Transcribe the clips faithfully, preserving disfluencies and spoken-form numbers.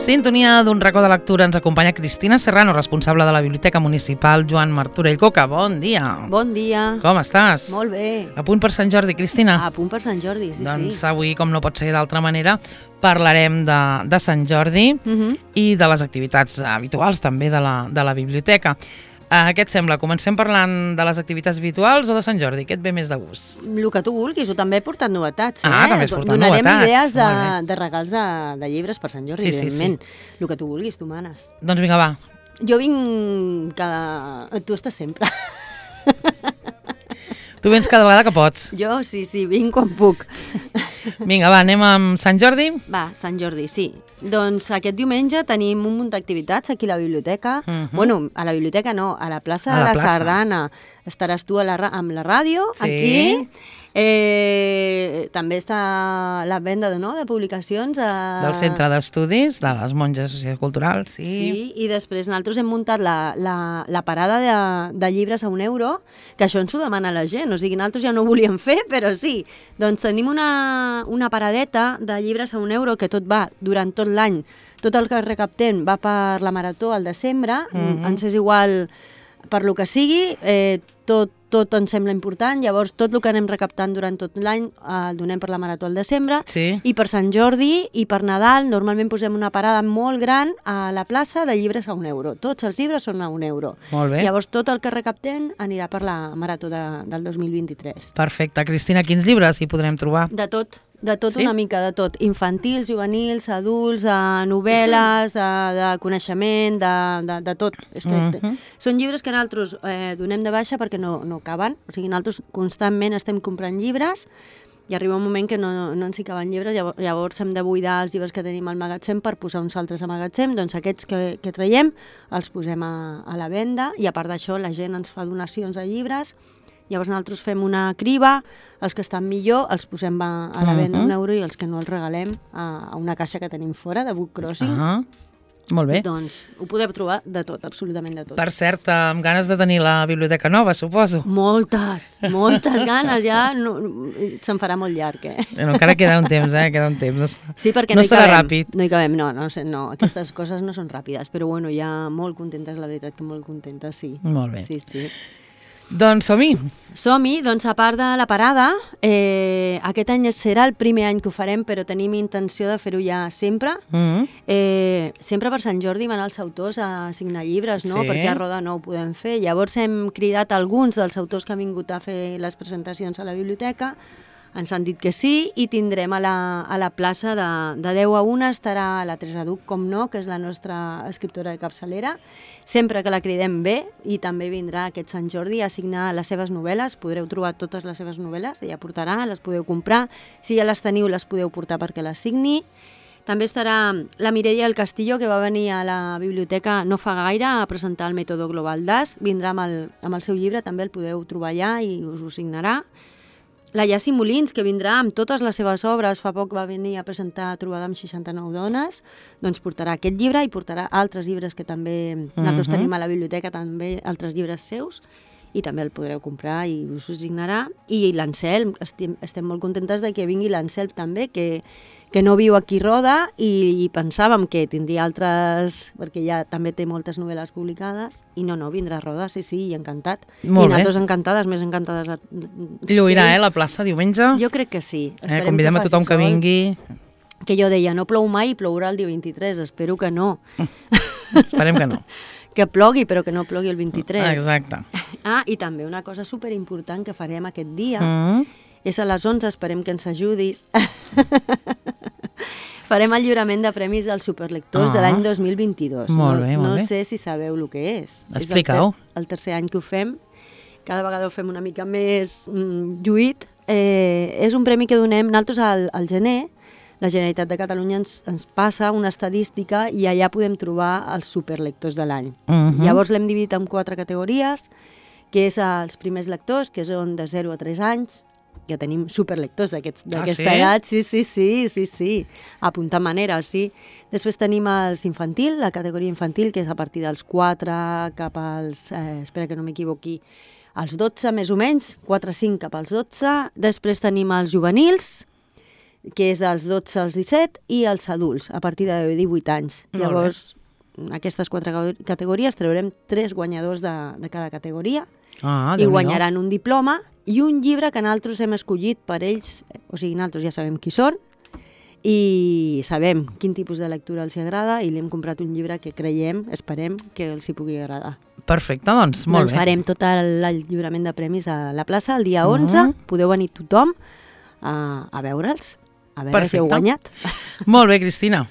Sintonia d'un racó de lectura. Ens acompanya Cristina Serrano, responsable de la Biblioteca Municipal Joan Martorell Coca. Bon dia. Bon dia. Com estàs? Molt bé. A punt per Sant Jordi, Cristina? A punt per Sant Jordi, sí, doncs sí. Avui, com no pot ser d'altra manera, parlarem de, de Sant Jordi uh -huh. i de les activitats habituals també de la, de la biblioteca. Uh, què et sembla? Comencem parlant de les activitats habituals o de Sant Jordi? Què et ve més de gust? El que tu vulguis, jo també he portat novetats. Ah, eh? també has portat Donarem novetats. idees de, de regals de, de llibres per Sant Jordi, sí, sí, evidentment. Sí. El que tu vulguis, tu manes. Doncs vinga, va. Jo vinc cada... Tu estàs sempre. Tu vens cada vegada que pots. Jo sí, sí, vinc quan puc. Vinga, va, anem amb Sant Jordi? Va, Sant Jordi, sí. Doncs aquest diumenge tenim un munt d'activitats aquí a la biblioteca. Uh -huh. Bueno, a la biblioteca no, a la plaça a de la la plaça. Sardana. Estaràs tu a la, amb la ràdio, sí. aquí. Eh, també està la venda de, no, de publicacions. A... Del Centre d'Estudis, de les Monges Socioculturals, sí. Sí, i després nosaltres hem muntat la, la, la parada de, de llibres a un euro, que això ens ho demana la gent, o sigui, nosaltres ja no ho volíem fer, però sí. Doncs tenim una, una paradeta de llibres a un euro que tot va durant tot l'any. Tot el que recaptem va per la marató al desembre, mm-hmm. ens és igual per lo que sigui, eh, tot tot ens sembla important, llavors tot el que anem recaptant durant tot l'any eh, el donem per la marató al desembre, sí. i per Sant Jordi i per Nadal normalment posem una parada molt gran a la plaça de llibres a un euro. Tots els llibres són a un euro. Molt bé. Llavors tot el que recaptem anirà per la marató de, del dos mil vint-i-tres. Perfecte. Cristina, quins llibres hi podrem trobar? De tot. De tot, sí? Una mica de tot. Infantils, juvenils, adults, eh, novel·les, de, de coneixement, de, de, de tot. És que, uh -huh. Són llibres que nosaltres eh, donem de baixa perquè no, no caben. O sigui, nosaltres constantment estem comprant llibres i arriba un moment que no, no, no ens hi caben llibres, llavors, llavors hem de buidar els llibres que tenim al magatzem per posar uns altres al magatzem. Doncs aquests que, que traiem els posem a, a la venda i a part d'això la gent ens fa donacions de llibres. Llavors nosaltres fem una criba, els que estan millor els posem a, a la venda uh -huh. un euro i els que no els regalem a, a una caixa que tenim fora, de Book Crossing. Uh -huh. Molt bé. Doncs ho podeu trobar de tot, absolutament de tot. Per cert, amb ganes de tenir la biblioteca nova, suposo. Moltes, moltes ganes, ja no, se'n farà molt llarg, eh? Bueno, encara queda un temps, eh? Queda un temps. Sí, perquè no, no hi serà cabem. ràpid. No hi cabem, no, no, no, aquestes coses no són ràpides, però bueno, ja molt contentes, la veritat que molt contentes, sí. Molt bé. Sí, sí. Doncs som-hi. Som-hi, doncs a part de la parada, eh, aquest any serà el primer any que ho farem, però tenim intenció de fer-ho ja sempre. Mm-hmm. eh, sempre per Sant Jordi van els autors a signar llibres, no? Sí. Perquè a Roda no ho podem fer. Llavors hem cridat alguns dels autors que han vingut a fer les presentacions a la biblioteca, ens han dit que sí, i tindrem a la, a la plaça de, de deu a una estarà la Teresa Duc, com no, que és la nostra escriptora de capçalera, sempre que la cridem bé, i també vindrà aquest Sant Jordi a signar les seves novel·les. Podreu trobar totes les seves novel·les, ella portarà, les podeu comprar, si ja les teniu les podeu portar perquè les signi. També estarà la Mireia del Castillo, que va venir a la biblioteca no fa gaire a presentar el mètode Global Das, vindrà amb el, amb el seu llibre, també el podeu trobar allà i us ho signarà. La Yassi Molins, que vindrà amb totes les seves obres, fa poc va venir a presentar Trobada amb seixanta-nou dones, doncs portarà aquest llibre i portarà altres llibres que també uh-huh. nosaltres tenim a la biblioteca, també altres llibres seus, i també el podreu comprar i us ho signarà. I l'Anselm, estem, estem molt contentes de que vingui l'Anselm també, que, que no viu aquí a Roda, i, i pensàvem que tindria altres, perquè ja també té moltes novel·les publicades, i no, no, vindrà a Roda, sí, sí, i encantat. Molt I bé. nosaltres encantades, més encantades. A... Lluirà, eh, la plaça diumenge? Jo crec que sí. Eh, convidem a tothom que vingui. Que jo deia, no plou mai, plourà el dia vint-i-tres, espero que no. Esperem que no. Que plogui, però que no plogui el vint-i-tres. Exacte. Ah, i també una cosa superimportant que farem aquest dia, Mm. és a les onze, esperem que ens ajudis. Farem el lliurament de premis als superlectors Ah. de l'any dos mil vint-i-dos. Molt no, bé, molt no bé. sé si sabeu el que és. Explica-ho. És el, ter el tercer any que ho fem. Cada vegada ho fem una mica més mm, lluït. Eh, és un premi que donem nosaltres al, al gener. La Generalitat de Catalunya ens, ens passa una estadística i allà podem trobar els superlectors de l'any. Uh-huh. Llavors l'hem dividit en quatre categories, que és els primers lectors, que són de zero a tres anys, que tenim superlectors d'aquesta Ah, sí? edat, sí, sí, sí, sí, sí, apuntar manera, sí. Després tenim els infantil, la categoria infantil, que és a partir dels quatre cap als, eh, espera que no m'equivoqui, als dotze més o menys, quatre cinc cap als dotze. Després tenim els juvenils, que és dels dotze als disset, i els adults, a partir de divuit anys. Molt Llavors, aquestes quatre categories traurem tres guanyadors de, de cada categoria Ah, i Déu-n'hi-do. guanyaran un diploma i un llibre que nosaltres hem escollit per ells, o sigui, nosaltres ja sabem qui són i sabem quin tipus de lectura els agrada i li hem comprat un llibre que creiem, esperem, que els hi pugui agradar. Perfecte, doncs, molt Doncs bé. farem tot el, el lliurament de premis a la plaça el dia onze, Mhm. podeu venir tothom a, a veure'ls, a veure si heu Perfecte. guanyat. Molt bé, Cristina.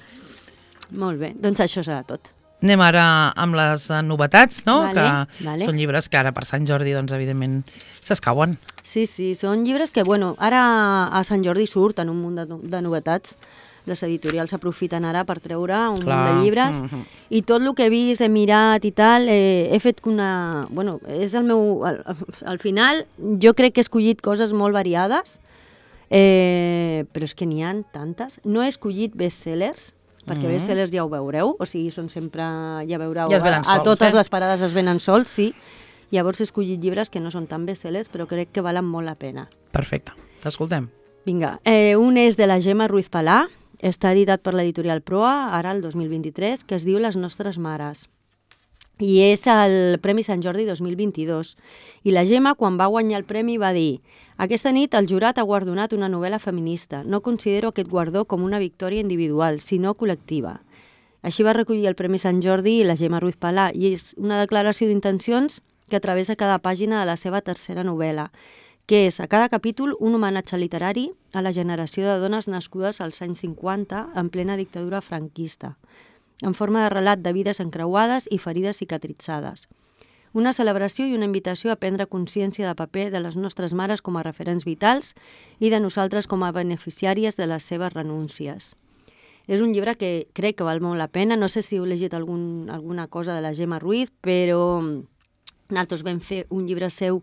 Molt bé, doncs això serà tot. Anem ara amb les eh, novetats, no? Vale, que vale. són llibres que ara per Sant Jordi, doncs, evidentment, s'escauen. Sí, sí, són llibres que, bueno, ara a Sant Jordi surten un munt de, de novetats. Les editorials aprofiten ara per treure un Clar. munt de llibres Mhm. i tot el que he vist, he mirat i tal, eh, he fet una... Bueno, és el meu... Al, al final, jo crec que he escollit coses molt variades, eh, però és que n'hi ha tantes. No he escollit bestsellers, perquè Mhm. bestsellers ja ho veureu, o sigui, són sempre... Ja veureu, Ja es venen a, a sols, totes eh? les parades es venen sols, sí. Llavors he escollit llibres que no són tan bestsellers, però crec que valen molt la pena. Perfecte, t'escoltem. Vinga, eh, un és de la Gemma Ruiz Palà, està editat per l'editorial Proa, ara el dos mil vint-i-tres, que es diu Les nostres mares. I és el Premi Sant Jordi dos mil vint-i-dos. I la Gemma, quan va guanyar el premi, va dir: aquesta nit el jurat ha guardonat una novel·la feminista. No considero aquest guardó com una victòria individual, sinó col·lectiva. Així va recollir el Premi Sant Jordi la Gemma Ruiz Palà, i és una declaració d'intencions que travessa cada pàgina de la seva tercera novel·la, que és a cada capítol un homenatge literari a la generació de dones nascudes als anys cinquanta en plena dictadura franquista, en forma de relat de vides encreuades i ferides cicatritzades. Una celebració i una invitació a prendre consciència de paper de les nostres mares com a referents vitals i de nosaltres com a beneficiàries de les seves renúncies. És un llibre que crec que val molt la pena. No sé si heu llegit algun, alguna cosa de la Gemma Ruiz, però nosaltres vam fer un llibre seu,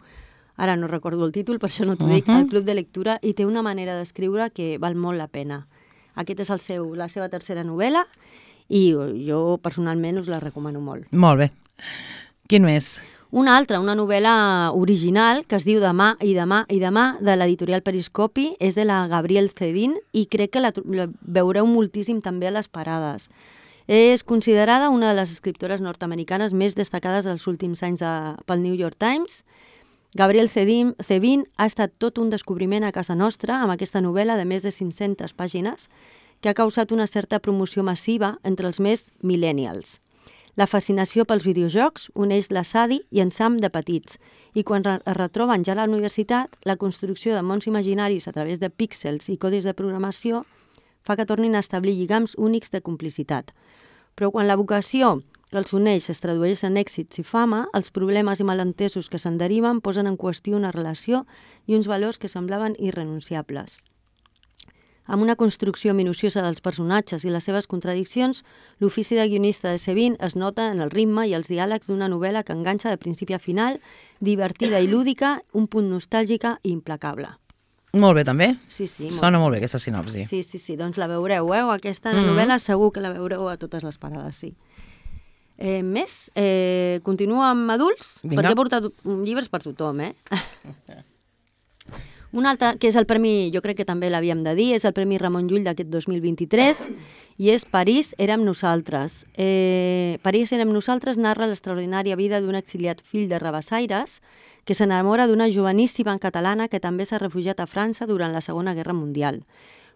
ara no recordo el títol, per això no t'ho dic, Mhm. al Club de Lectura, i té una manera d'escriure que val molt la pena. Aquest és el seu, la seva tercera novel·la i jo personalment us la recomano molt. Molt bé. Quin més? Una altra, una novel·la original que es diu Demà i demà i demà, de l'editorial Periscopi, és de la Gabrielle Cedin i crec que la, la veureu moltíssim també a les parades. És considerada una de les escriptores nord-americanes més destacades dels últims anys de, pel New York Times. Gabrielle Cedin, Cedin ha estat tot un descobriment a casa nostra amb aquesta novel·la de més de cinc-centes pàgines que ha causat una certa promoció massiva entre els més millennials. La fascinació pels videojocs uneix la Sadie i en Sam de petits, i quan es retroben ja a la universitat, la construcció de mons imaginaris a través de píxels i codis de programació fa que tornin a establir lligams únics de complicitat. Però quan la vocació que els uneix es tradueix en èxits i fama, els problemes i malentesos que se'n deriven posen en qüestió una relació i uns valors que semblaven irrenunciables. Amb una construcció minuciosa dels personatges i les seves contradiccions, l'ofici de guionista de Cedin es nota en el ritme i els diàlegs d'una novel·la que enganxa de principi a final, divertida i lúdica, un punt nostàlgica i implacable. Molt bé, també? Sí, sí. Molt Sona molt bé, aquesta sinopsi. Sí, sí, sí, doncs la veureu, eh? Aquesta Mhm. novel·la segur que la veureu a totes les parades, sí. Eh, més, eh, continua amb adults, Vinga. perquè he portat llibres per tothom, eh? Un altre, que és el premi, jo crec que també l'havíem de dir, és el Premi Ramon Llull d'aquest dos mil vint-i-tres, i és París érem nosaltres. Eh, París érem nosaltres narra l'extraordinària vida d'un exiliat fill de rabassaires que s'enamora d'una joveníssima catalana que també s'ha refugiat a França durant la Segona Guerra Mundial.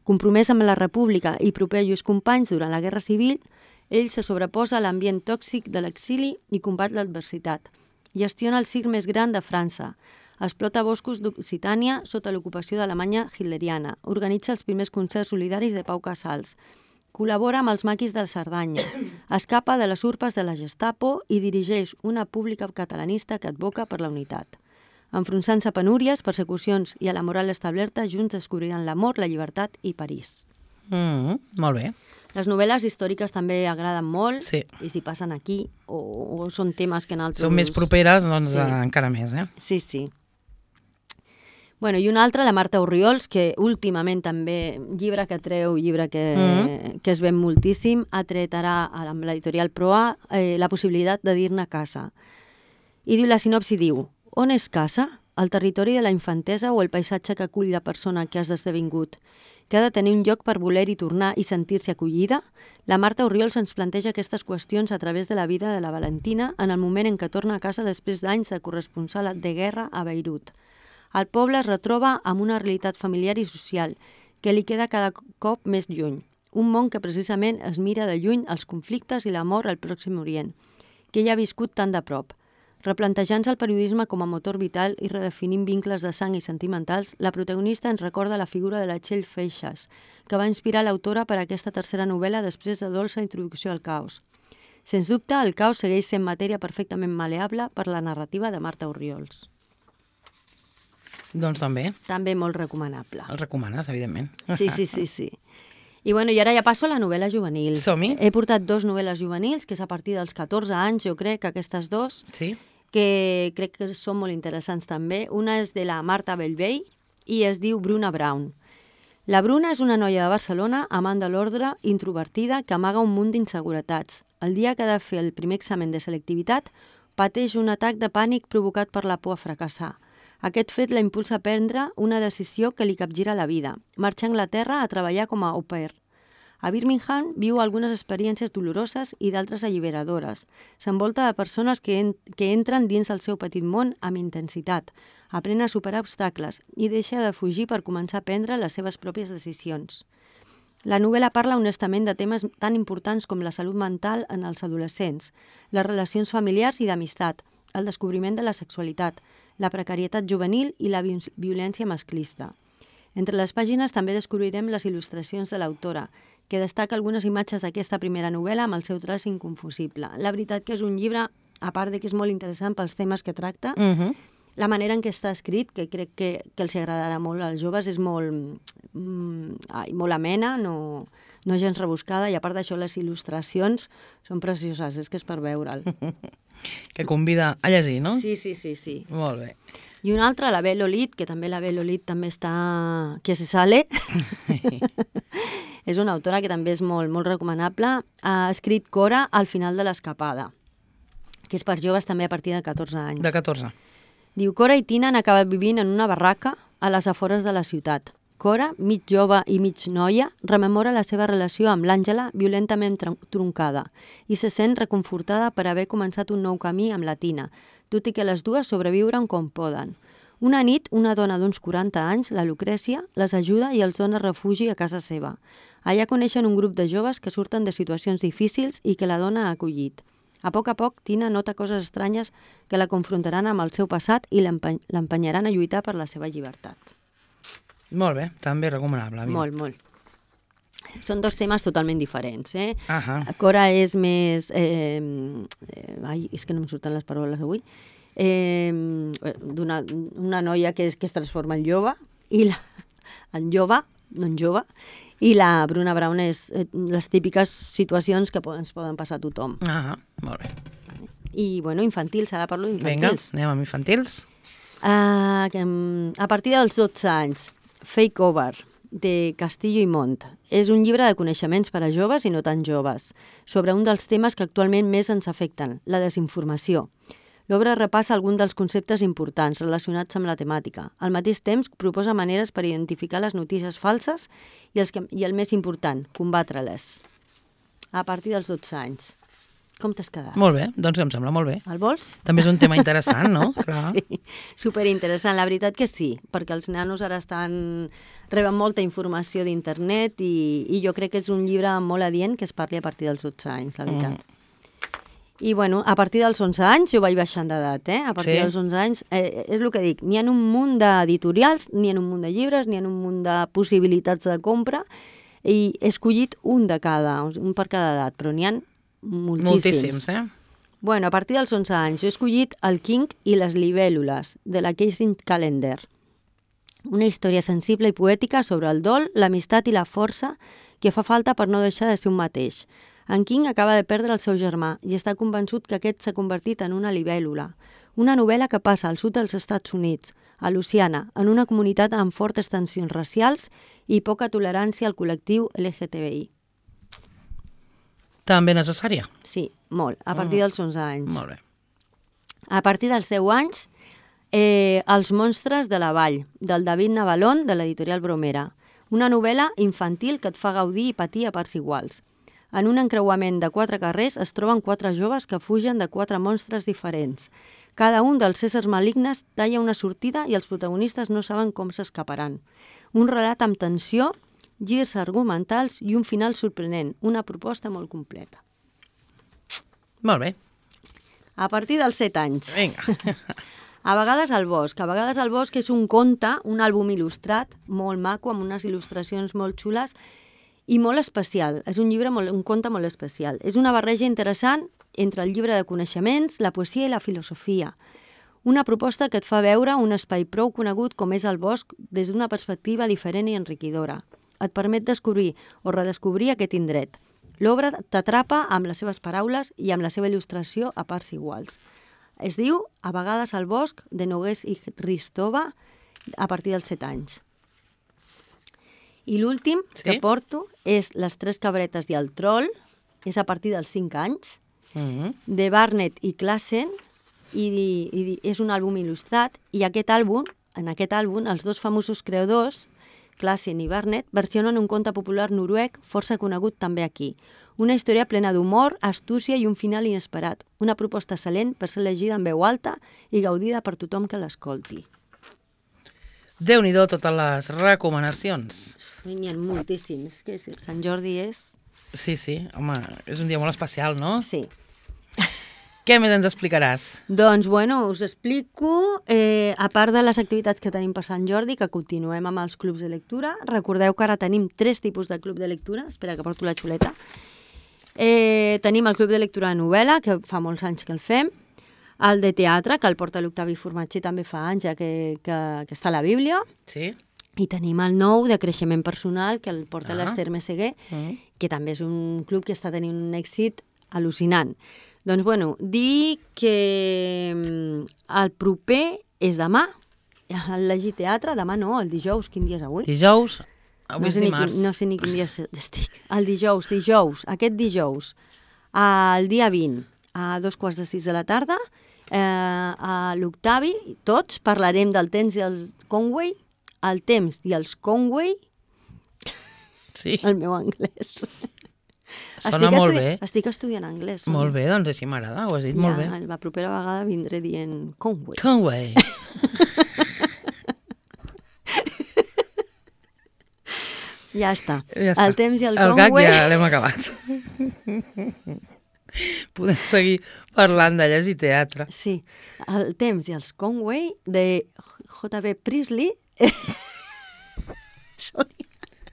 Compromès amb la República i proper a lluís companys durant la Guerra Civil, ell se sobreposa a l'ambient tòxic de l'exili i combat l'adversitat. Gestiona el circ més gran de França. Explota boscos d'Occitània sota l'ocupació d'Alemanya hitleriana. Organitza els primers concerts solidaris de Pau Casals. Col·labora amb els maquis de Cerdanya. Escapa de les urpes de la Gestapo i dirigeix una pública catalanista que advoca per la unitat. Enfronsant-se a penúries, persecucions i a la moral establerta, junts descobriran l'amor, la llibertat i París. Mm, molt bé. Les novel·les històriques també agraden molt, Sí. i si passen aquí, o, o són temes que en altres... Són més properes, doncs Sí. eh, encara més, eh? Sí, sí. Bueno, i una altra, la Marta Orriols, que últimament també, llibre que treu, llibre que, Mm. que es ven moltíssim, ha tret ara amb l'editorial Proa eh, la possibilitat de dir-ne casa. I diu, la sinopsi diu: on és casa? el territori de la infantesa o el paisatge que acull la persona que has esdevingut, que ha de tenir un lloc per voler-hi tornar i sentir-se acollida? La Marta Orriols ens planteja aquestes qüestions a través de la vida de la Valentina en el moment en què torna a casa després d'anys de corresponsal de guerra a Beirut. El poble es retroba amb una realitat familiar i social que li queda cada cop més lluny. Un món que precisament es mira de lluny els conflictes i l'amor al Pròxim Orient, que ella ha viscut tan de prop. Replantejant-se el periodisme com a motor vital i redefinint vincles de sang i sentimentals, la protagonista ens recorda la figura de la Txell Feixas, que va inspirar l'autora per a aquesta tercera novel·la després de dolça introducció al caos. Sens dubte, el caos segueix sent matèria perfectament maleable per la narrativa de Marta Orriols. Doncs també. També molt recomanable. El recomanes, evidentment. Sí, sí, sí, sí. I bueno, i ara ja passo a la novel·la juvenil. Som-hi. He portat dos novel·les juvenils, que és a partir dels catorze anys, jo crec, aquestes dos, Sí. que crec que són molt interessants també. Una és de la Marta Bellvei i es diu Bruna Brown. La Bruna és una noia de Barcelona, amant de l'ordre, introvertida, que amaga un munt d'inseguretats. El dia que ha de fer el primer examen de selectivitat, pateix un atac de pànic provocat per la por a fracassar. Aquest fet la impulsa a prendre una decisió que li capgira la vida, marxar a Anglaterra a treballar com a au pair. A Birmingham viu algunes experiències doloroses i d'altres alliberadores. S'envolta de persones que, en, que entren dins el seu petit món amb intensitat, aprèn a superar obstacles i deixa de fugir per començar a prendre les seves pròpies decisions. La novel·la parla honestament de temes tan importants com la salut mental en els adolescents, les relacions familiars i d'amistat, el descobriment de la sexualitat, la precarietat juvenil i la violència masclista. Entre les pàgines també descobrirem les il·lustracions de l'autora, que destaca algunes imatges d'aquesta primera novel·la amb el seu traç inconfusible. La veritat que és un llibre, a part de que és molt interessant pels temes que tracta, Uh -huh. la manera en què està escrit, que crec que, que els agradarà molt als joves, és molt, mm, ai, molt amena, no, no gens rebuscada, i a part d'això les il·lustracions són precioses, és que és per veure'l. Que convida a llegir, no? Sí, sí, sí, sí. Molt bé. I una altra, la Bel Olid, que també la Bel Olid també està... que se sale. És una autora que també és molt, molt recomanable. Ha escrit Cora al final de l'escapada, que és per joves també a partir de catorze anys. De catorze. Diu, Cora i Tina han acabat vivint en una barraca a les afores de la ciutat. Cora, mig jove i mig noia, rememora la seva relació amb l'Àngela violentament troncada i se sent reconfortada per haver començat un nou camí amb la Tina, tot i que les dues sobreviuren com poden. Una nit, una dona d'uns quaranta anys, la Lucrècia, les ajuda i els dona refugi a casa seva. Allà coneixen un grup de joves que surten de situacions difícils i que la dona ha acollit. A poc a poc, Tina nota coses estranyes que la confrontaran amb el seu passat i l'empenyaran a lluitar per la seva llibertat. Molt bé, també recomanable. Mira. Molt, molt. Són dos temes totalment diferents, eh? Ahà. Cora és més... Eh, eh, ai, és que no em surten les paraules avui. Eh, d'una una noia que es, que es transforma en jove, i la, en jove, no en jove, i la Bruna Brown és eh, les típiques situacions que ens poden passar a tothom. Ahà, molt bé. I, bueno, infantils, ara parlo Vinga, d'infantils. anem amb infantils. Uh, que, um, a partir dels dotze anys, Fake Over, de Castillo i Mont. És un llibre de coneixements per a joves i no tan joves, sobre un dels temes que actualment més ens afecten, la desinformació. L'obra repassa alguns dels conceptes importants relacionats amb la temàtica. Al mateix temps, proposa maneres per identificar les notícies falses i, els que, i el més important, combatre-les. A partir dels dotze anys. Com t'has quedat? Molt bé, doncs em sembla molt bé. El vols? També és un tema interessant, no? Clar. Sí, superinteressant. La veritat que sí, perquè els nanos ara estan reben molta informació d'internet i, i jo crec que és un llibre molt adient que es parli a partir dels dotze anys, la veritat. Mm. I, bueno, a partir dels onze anys jo vaig baixant d'edat, eh? A partir Sí. dels onze anys, eh, és el que dic, n'hi ha un munt d'editorials, n'hi ha un munt de llibres, n'hi ha un munt de possibilitats de compra i he escollit un de cada, un per cada edat, però n'hi ha moltíssims. Moltíssims, eh? Bueno, a partir dels onze anys jo he escollit El King i les libèl·lules, de la Casey Callender. Una història sensible i poètica sobre el dol, l'amistat i la força que fa falta per no deixar de ser un mateix. En King acaba de perdre el seu germà i està convençut que aquest s'ha convertit en una libèl·lula. Una novel·la que passa al sud dels Estats Units, a Louisiana, en una comunitat amb fortes tensions racials i poca tolerància al col·lectiu L G T B I. També necessària. Sí, molt, a partir dels onze anys. Molt bé. A partir dels deu anys eh, Els monstres de la vall, del David Navalón, de l'editorial Bromera. Una novel·la infantil que et fa gaudir i patir a parts iguals. En un encreuament de quatre carrers es troben quatre joves que fugen de quatre monstres diferents. Cada un dels éssers malignes talla una sortida i els protagonistes no saben com s'escaparan. Un relat amb tensió, girs argumentals i un final sorprenent. Una proposta molt completa. Molt bé. A partir dels set anys. Vinga. A vegades al bosc. A vegades al bosc és un conte, un àlbum il·lustrat, molt maco, amb unes il·lustracions molt xules i molt especial. És un llibre, molt, un conte molt especial. És una barreja interessant entre el llibre de coneixements, la poesia i la filosofia. Una proposta que et fa veure un espai prou conegut com és el bosc des d'una perspectiva diferent i enriquidora. Et permet descobrir o redescobrir aquest indret. L'obra t'atrapa amb les seves paraules i amb la seva il·lustració a parts iguals. Es diu A vegades al bosc, de Nogués i Ristova, a partir dels set anys. I l'últim sí? que porto és Les tres cabretes i el troll, és a partir dels cinc anys, mm-hmm. de Barnett i Klassen, i, i és un àlbum il·lustrat, i aquest àlbum, en aquest àlbum, els dos famosos creadors, Klassen i Barnett, versionen un conte popular noruec força conegut també aquí. Una història plena d'humor, astúcia i un final inesperat. Una proposta excel·lent per ser llegida en veu alta i gaudida per tothom que l'escolti. Déu-n'hi-do totes les recomanacions. N'hi ha moltíssims. Que Sant Jordi és... Sí, sí, home, és un dia molt especial, no? Sí. Què més ens explicaràs? Doncs, bueno, us explico, eh, a part de les activitats que tenim per Sant Jordi, que continuem amb els clubs de lectura. Recordeu que ara tenim tres tipus de club de lectura. Espera, que porto la xuleta. Eh, tenim el club de lectura de novel·la, que fa molts anys que el fem. El de teatre, que el porta l'Octavi Formatger, també fa anys ja que, que, que està a la Bíblia. Sí. I tenim el nou de creixement personal, que el porta ah. l'Ester Meseguer, mm. que també és un club que està tenint un èxit al·lucinant. Doncs, bueno, dir que el proper és demà, el Llegir Teatre, demà no, el dijous, quin dia és avui? Dijous, avui no és dimarts. Quin, no sé ni quin dia estic. El dijous, dijous, aquest dijous, el dia vint, a dos quarts de sis de la tarda, eh, a l'Octavi, tots parlarem del temps i el Conway, el temps i els Conway, sí. el meu anglès. Sona estic molt estudi... bé. Estic estudiant anglès. Molt bé, doncs així m'agrada, ho has dit ja, molt bé. La propera vegada vindré dient Conway. Conway. ja està. Ja està. El temps i el, el Conway... El gag ja l'hem acabat. Podem seguir parlant de llegir teatre. Sí, el temps i els Conway de J B Priestley.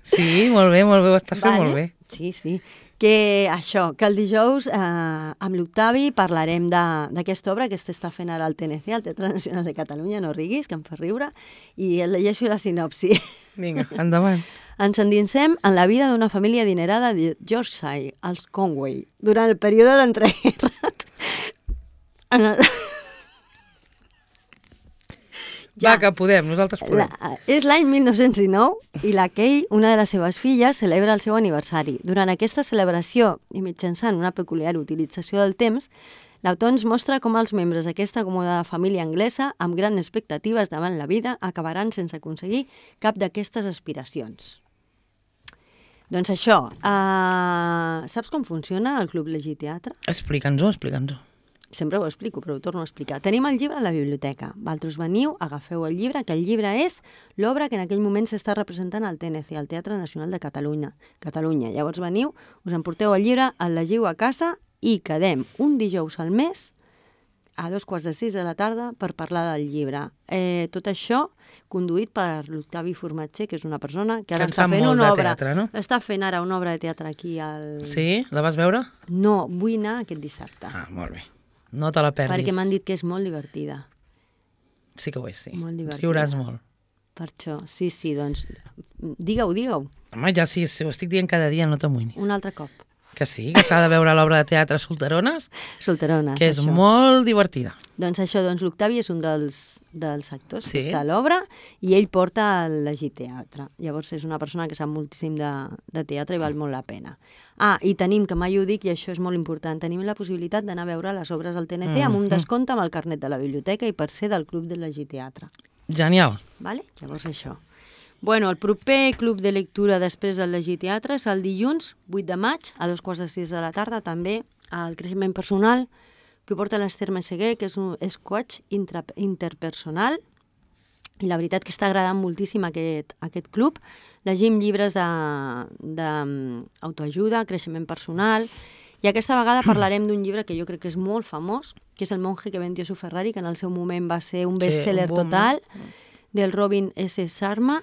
Sí, molt bé, molt bé, ho està fent vale. molt bé. Sí, sí. Que això, que el dijous eh, amb l'Octavi parlarem d'aquesta obra que està fent ara al T N C, al Teatre Nacional de Catalunya, no riguis, que em fa riure, i el llegeixo la sinopsi. Vinga, endavant. Ens endinsem en la vida d'una família adinerada de Yorkshire, els Conway, durant el període d'entreguerres. En el... Ja. Va, que podem, nosaltres podem. La, és l'any mil nou-cents dinou i la Kay, una de les seves filles, celebra el seu aniversari. Durant aquesta celebració, i mitjançant una peculiar utilització del temps, l'autor ens mostra com els membres d'aquesta acomodada família anglesa, amb grans expectatives davant la vida, acabaran sense aconseguir cap d'aquestes aspiracions. Doncs això, uh, saps com funciona el Club Llegir Teatre? Explica'ns-ho, explica'ns-ho. Sempre ho explico, però ho torno a explicar. Tenim el llibre a la biblioteca. Vosaltres veniu, agafeu el llibre, que el llibre és l'obra que en aquell moment s'està representant al T N C, al Teatre Nacional de Catalunya. Catalunya. Llavors veniu, us emporteu el llibre, el llegiu a casa i quedem un dijous al mes a dos quarts de sis de la tarda per parlar del llibre. Eh, tot això conduït per l'Octavi Formatger, que és una persona que ara que està fent una obra. Teatre, no? Està fent ara una obra de teatre aquí al... Sí? La vas veure? No, vull anar aquest dissabte. Ah, molt bé. No te la perdis. Perquè m'han dit que és molt divertida. Sí que ho és, sí. Molt divertida. Riuràs molt. Per això, sí, sí, doncs digue-ho, digue-ho. Home, ja sí, si ho estic dient cada dia, no t'amoïnis. Un altre cop. Que sí, que s'ha de veure l'obra de teatre Solterones, Solterones, que és això. molt divertida. Doncs això, doncs l'Octavi és un dels, dels actors Sí. que està a l'obra i ell porta el Llegit Teatre. Llavors és una persona que sap moltíssim de, de teatre i val molt la pena. Ah, i tenim, que mai ho dic i això és molt important, tenim la possibilitat d'anar a veure les obres del T N C amb un descompte amb el carnet de la biblioteca i per ser del Club del Llegit Teatre. Genial. Vale? Llavors això. Bueno, el proper club de lectura després del Llegir Teatre és el dilluns vuit de maig a dos quarts de sis de la tarda, també al creixement personal, que porta l'Ester Meseguer, que és un és coach intra, interpersonal, i la veritat que està agradant moltíssim aquest, aquest club. Llegim llibres d'autoajuda, creixement personal, i aquesta vegada parlarem d'un llibre que jo crec que és molt famós, que és El monje que vendió su Ferrari, que en el seu moment va ser un best-seller Sí, un boom. total, del Robin S. Sharma.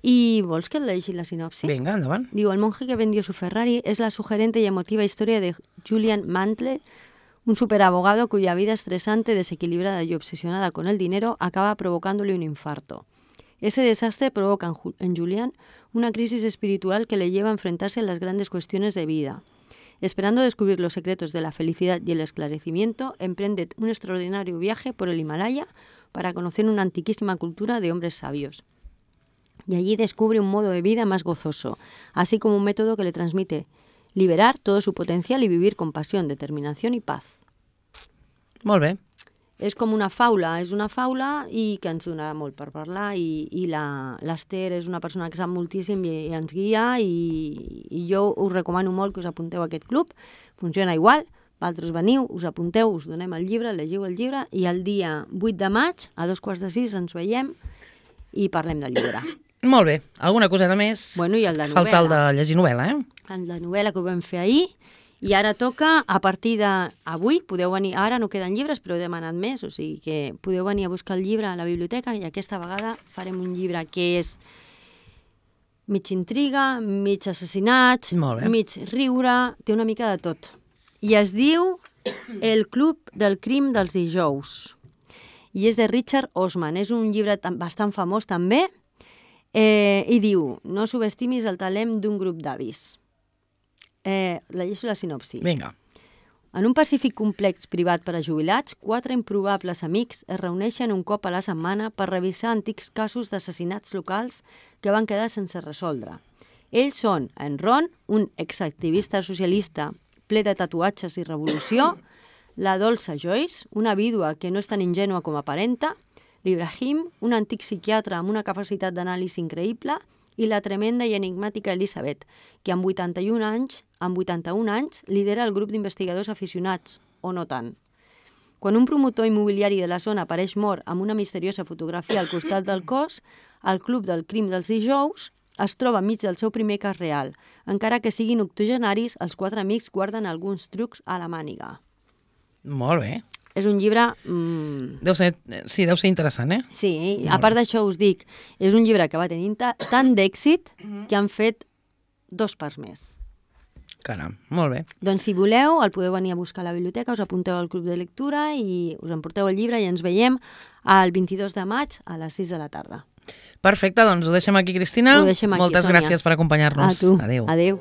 I vols que et llegeixi la sinopsi? Vinga, endavant. Digo, El monje que vendió su Ferrari es la sugerente y emotiva historia de Julian Mantle, un superabogado cuya vida estresante, desequilibrada y obsesionada con el dinero acaba provocándole un infarto. Ese desastre provoca en, Ju- en Julian una crisis espiritual que le lleva a enfrentarse a las grandes cuestiones de vida. Esperando descubrir los secretos de la felicidad y el esclarecimiento, emprende un extraordinario viaje por el Himalaya para conocer una antiquísima cultura de hombres sabios. Y allí descubre un modo de vida más gozoso, así como un método que le transmite liberar todo su potencial y vivir con pasión, determinación y paz. Molt bé. És com una faula, és una faula i que ens donarà molt per parlar i, i la- l'Ester és una persona que sap moltíssim i, i ens guia i, i jo us recomano molt que us apunteu a aquest club. Funciona igual, vosaltres veniu, us apunteu, us donem el llibre, llegiu el llibre i el dia vuit de maig a dos quarts de sis ens veiem i parlem del llibre. Molt bé. Alguna coseta més? Bueno, i el de Falta el de novel·la. llegir novel·la, eh? En la novel·la que ho vam fer ahir, i ara toca, a partir d'avui, podeu venir, ara no queden llibres, però he demanat més, o sigui que podeu venir a buscar el llibre a la biblioteca i aquesta vegada farem un llibre que és mig intriga, mig assassinats, Molt bé. mig riure, té una mica de tot. I es diu El club del crim dels dijous. I és de Richard Osman, és un llibre tan- bastant famós també, Eh, i diu, no subestimis el talent d'un grup d'avis. Eh, llegeixo la sinopsi. Vinga. En un pacífic complex privat per a jubilats, quatre improbables amics es reuneixen un cop a la setmana per revisar antics casos d'assassinats locals que van quedar sense resoldre. Ells són en Ron, un exactivista socialista ple de tatuatges i revolució, la dolça Joyce, una vídua que no és tan ingènua com aparenta, l'Ibrahim, un antic psiquiatre amb una capacitat d'anàlisi increïble, i la tremenda i enigmàtica Elisabet, que amb vuitanta-un anys, amb vuitanta-un anys lidera el grup d'investigadors aficionats, o no tant. Quan un promotor immobiliari de la zona apareix mort amb una misteriosa fotografia al costat del cos, el club del crim dels dijous es troba enmig del seu primer cas real. Encara que siguin octogenaris, els quatre amics guarden alguns trucs a la màniga. Molt bé. És un llibre... Mmm, Deu ser, sí, deu ser interessant, eh? sí, a part d'això us dic, és un llibre que va tenir ta- tant d'èxit que han fet dos parts més. Caram, molt bé. Doncs si voleu, el podeu venir a buscar a la biblioteca, us apunteu al club de lectura i us emporteu el llibre i ens veiem el vint-i-dos de maig a les sis de la tarda. Perfecte, doncs ho deixem aquí, Cristina. Ho deixem aquí, Moltes Sònia. gràcies per acompanyar-nos. A tu. Adéu. Adéu.